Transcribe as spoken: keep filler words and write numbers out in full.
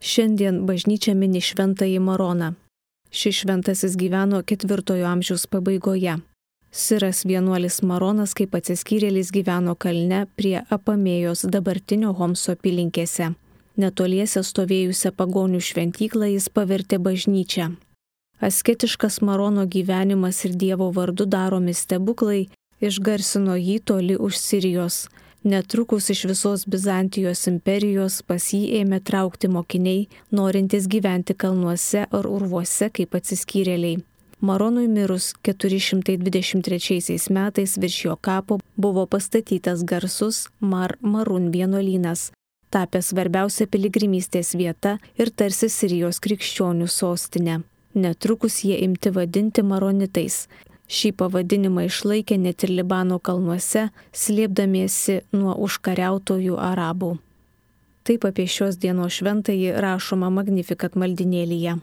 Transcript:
Šiandien bažnyčia mini šventąjį Maroną. Šis šventasis gyveno ketvirtojo amžiaus pabaigoje. Siras vienuolis Maronas kaip atsiskyrėlis gyveno kalne prie Apamėjos dabartinio Homso apylinkėse. Netoliese stovėjusią pagonių šventyklą jis pavertė bažnyčią. Asketiškas Marono gyvenimas ir Dievo vardu daromi stebuklai išgarsino jį toli už Sirijos. Netrukus iš visos Bizantijos imperijos pas jį ėmė traukti mokiniai, norintys gyventi kalnuose ar urvuose kaip atsiskyrėliai. Maronui mirus keturi šimtai dvidešimt trečiaisiais metais virš jo kapo buvo pastatytas garsus Mar Marun vienuolynas, tapęs svarbiausia piligrimystės vieta ir tarsi Sirijos krikščionių sostinė. Netrukus jie imti vadinti maronitais. Šį pavadinimą išlaikė net ir Libano kalnuose, slėpdamiesi nuo užkariautojų arabų. Taip apie šios dienos šventąjį rašoma Magnificat maldynėlyje.